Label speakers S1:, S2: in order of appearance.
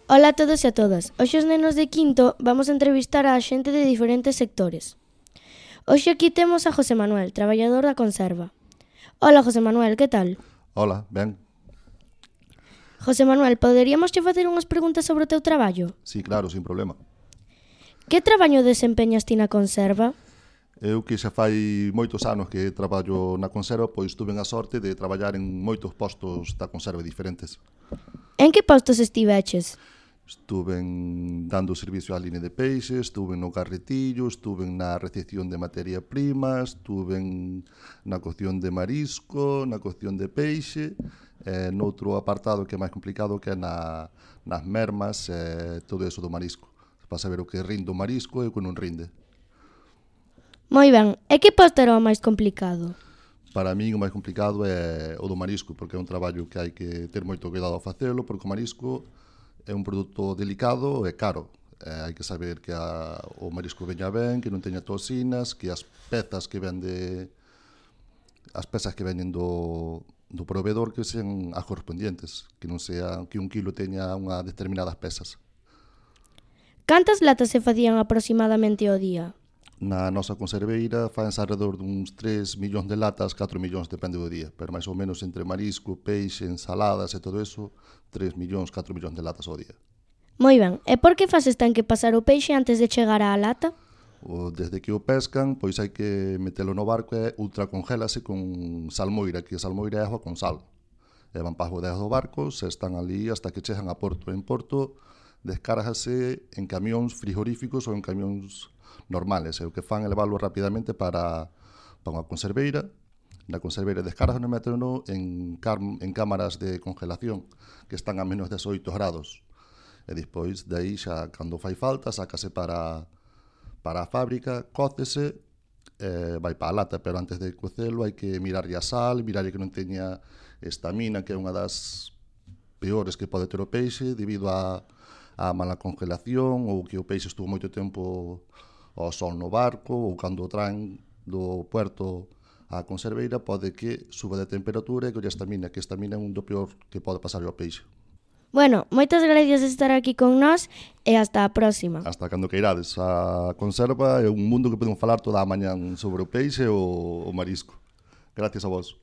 S1: Ola a todos e a todas. Hoxe os nenos de quinto vamos a entrevistar a xente de diferentes sectores. Hoxe aquí temos a José Manuel, traballador da conserva. Ola, José Manuel, que tal?
S2: Hola, ben.
S1: José Manuel, poderíamos che facer unhas preguntas sobre o teu traballo?
S2: Sí, claro, sin problema.
S1: Que traballo desempeñas ti na conserva?
S2: Eu que xa fai moitos anos que traballo na conserva, pois tuve a sorte de traballar en moitos postos da conserva diferentes.
S1: En que postos estiveches?
S2: Estuve dando servicio á línea de peixes, estuve no carretillo, estuve na recepción de materia prima, estuve na cocción de marisco, na cocción de peixe, noutro apartado que é máis complicado que é nas mermas, todo eso do marisco, para saber o que rinde o marisco e o que non rinde.
S1: Moi ben, e que posto era o máis complicado?
S2: Para min o máis complicado é o do marisco, porque é un traballo que hai que ter moito cuidado ao facelo, porque o marisco é un produto delicado e caro. Hai que saber que o marisco veña ben, que non teña toxinas, que as pezas que veñen do proveedor que sean as correspondientes, que non sea que un kilo teña unhas determinadas pesas.
S1: Cantas latas se facían aproximadamente ao día?
S2: Na nosa conserveira faense alrededor duns 3 millóns de latas, 4 millóns depende do día, pero máis ou menos entre marisco, peixe, ensaladas e todo eso, 3 millóns, 4 millóns de latas ao día.
S1: Moi ben, e por que fases ten que pasar o peixe antes de chegar á lata?
S2: Desde que o pescan, pois hai que metelo no barco e ultracongélase con salmoira, que a salmoira é agua con sal. E van para as bodegas do barco, se están ali hasta que chegan a Porto. En Porto descárgase en camións frigoríficos ou en camións normales. E o que fan é leválo rapidamente para unha conserveira. Na conserveira descargan e méteno en cámaras de congelación que están a menos 18 grados. E despois, de aí, xa cando fai falta, sácase para a fábrica, cócese, vai para a lata, pero antes de cocelo hai que mirarlle a sal, mirarlle que non teña estamina, que é unha das peores que pode ter o peixe, debido a mala congelación, ou que o peixe estuvo moito tempo ao sol no barco, ou cando o traen do puerto á conserveira, pode que suba de temperatura e que a estamina, que a estamina é un do peor que pode pasar ao peixe.
S1: Bueno, moitas gracias por estar aquí con nós e hasta a próxima.
S2: Hasta cando queirades. A conserva é un mundo que podemos falar toda a mañán sobre o peixe ou o marisco. Gracias a vos.